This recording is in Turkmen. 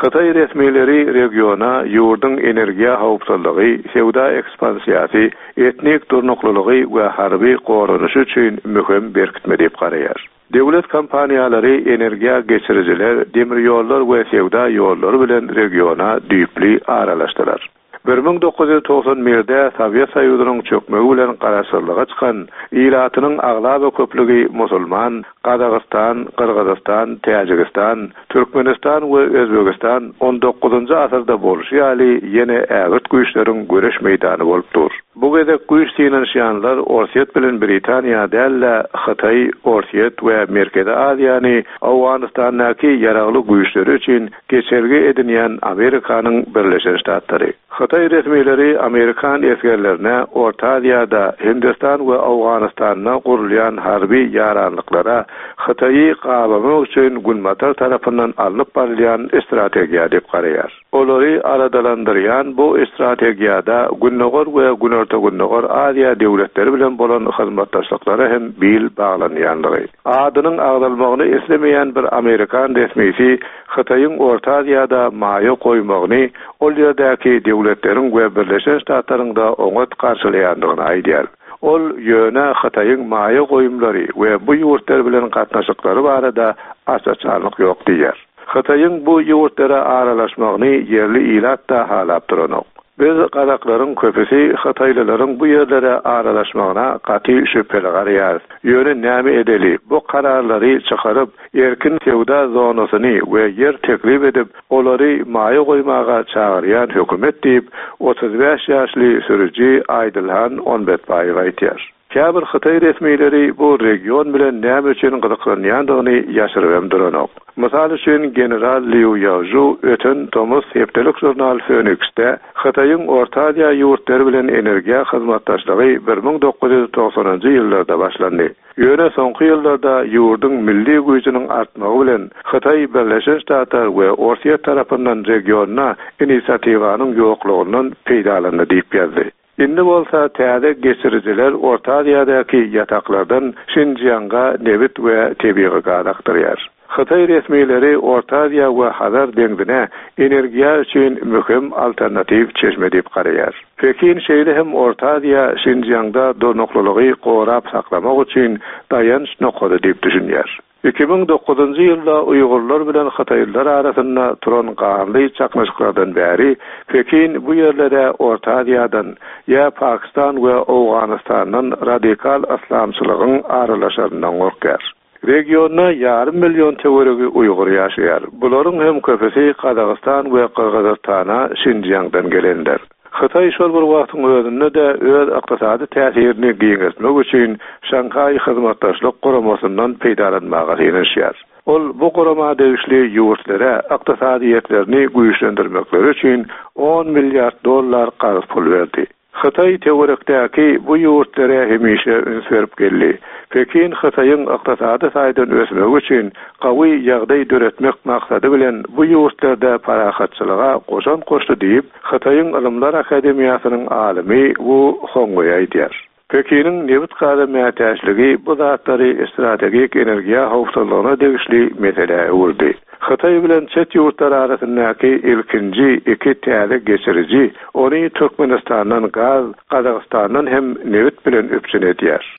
Hytaý resmileri regiona ýurduň energiýa howpsuzlygy, söwda ekspansiýasy, etnik durnuklylygy we harby goranyşy üçin möhüm berkitme diýip garaýar. Döwlet kompaniýalary energiýa geçirijiler, demir ýollar we söwda ýollary bilen regiona düýpli aralaşdylar. 1991-de Sowet Soýuzynyň çökmegi bilen garaşsyzlyga çykan, ilatynyň aglaba köplügi musulman Gazagystan, Gyrgyzystan, Täjigistan, Türkmenistan we Özbegistan on dokuzynjy asyrda bolşy ýaly ýene ägirt güýçleriň göreş meýdany bolup dur. Bu gezek güýç synanyşýanlar Orsýet bilen Britaniýa däl-de, Hytaý, Orsýet we Merkezi Aziýany Owganystandaky ýaragly güýçleri üçin geçelge edinýän Amerikanyň Birleşen Ştatlary. Hytaý resmileri amerikan esgerlerine Orta Aziýada, Hindistan we Owganystanda gurulýan harby ýaranlyklara Hytaýy gabamak üçin Günbatar tarapyndan alnyp barylýan strategiýa diýip garaýar. Olary aladalandyrýan bu strategiýada Gündogar we Günorta-Gündogar Aziýa döwletleri bilen bolan hyzmatdaşlyklara hem bil baglanýanlygy. Adynyň agzalmagyny islemeýän bir amerikan resmisi Hytaýyň Orta Aziýada maýa goýmagyny ol ýerdäki döwletleriň we Birleşen Ştatlaryň-da oňat garşylaýandygyny aýdýar. Ol ýöne Hytaýyň maýa goýumlary we bu ýurtlar bilen gatnaşyklary barada aç-açanlyk ýok diýýär. Hytaýyň bu ýurtlara aralaşmagyny ýerli ilat-da halap duranok. Biz gazaklaryň köpüsi hytaýlylaryň bu ýerlere aralaşmagyna gaty şübheli garaýarys. Ýöne näme edeli, bu kararlary çykaryp, erkin söwda zonasyny we ýer teklip edip, olary maýa goýmaga çagyrýan hökümet diýip, 35 ýaşly sürüji Aýdylhan Onbetbaýew aýdýar. Käbir hytaý resmileri bu region bilen näme üçin gyzyklanýandygyny ýaşyryp hem duranok. Mysal üçin, general Liu Ýaožu öten tomus hepdelik žurnal Fönüksde Hytaýyň Orta Aziýa ýurtlary bilen energiýa hyzmatdaşlygy 1990-njy ýyllarda başlandy. Ýöne soňky ýyllarda ýurduň milli güýjüniň artmagy bilen Hytaý Birleşen Ştatlar we Orsýet tarapyndan regionda inisiatiwanyň ýoklugyndan peýdalandy diýip ýazdy. Indi bolsa täze geçirijiler Orta Aziýadaky ýataklardan Şinjianga nebit we tebigy gaz akdyrýar. Hytaý resmileri Orta Aziýa we Hazar deňzine energiýa üçin möhüm alternatiw çeşme diýip garaýar. Pekin şeýle hem Orta Aziýa Şinjiangda durnuklylygy gorap saklamak üçin daýanç nokady diýip düşünýär. 2009-njy ýylda uýgurlar bilen hytaýlylar arasynda turan ganly çaknyşyklardan bäri Pekin bu ýerlere Orta Aziýadan, ýa Pakistan we Owganystandan radikal yslamçylygyň aralaşaryndan gorkýar. Regionda ýarym million töweregi uýgur ýaşaýar. Bularyň hem köpüsi Gazagystan we Gyrgyzystana Şinjiangdan gelenler. Hytaý şol bir wagtyň özünde-de öz ykdysady täsirini giňeltmek üçin Şanhaý Hyzmatdaşlyk Guramasyndan peýdalanmaga synanyşýar. Ol bu gurama degişli ýurtlara ykdysadyýetlerini güýçlendirmekleri üçin on milliard dollar karz pul berdi. Hytaý töwerekdäki bu ýurtlara hemişe üns berip geldi. Pekin Hytaýyň ykdysady taýdan ösmegi üçin gawy ýagdaý döretmek maksady bilen bu ýurtlarda parahatçylyga goşant goşdy diýip, Hytaýyň Ylymlar akademiýasynyň alymy Wu Hongweý aýdýar. Pekiniň nebit-gaza mätäçligi bu zatlary strategik energiýa howpsuzlygyna degişli meselä öwürdi. Hytaý bilen çet ýurtlar arasyndaky ilkinji iki täze geçiriji ony Türkmenistandan gaz, Gazagystandan hem nebit bilen üpjün edýär.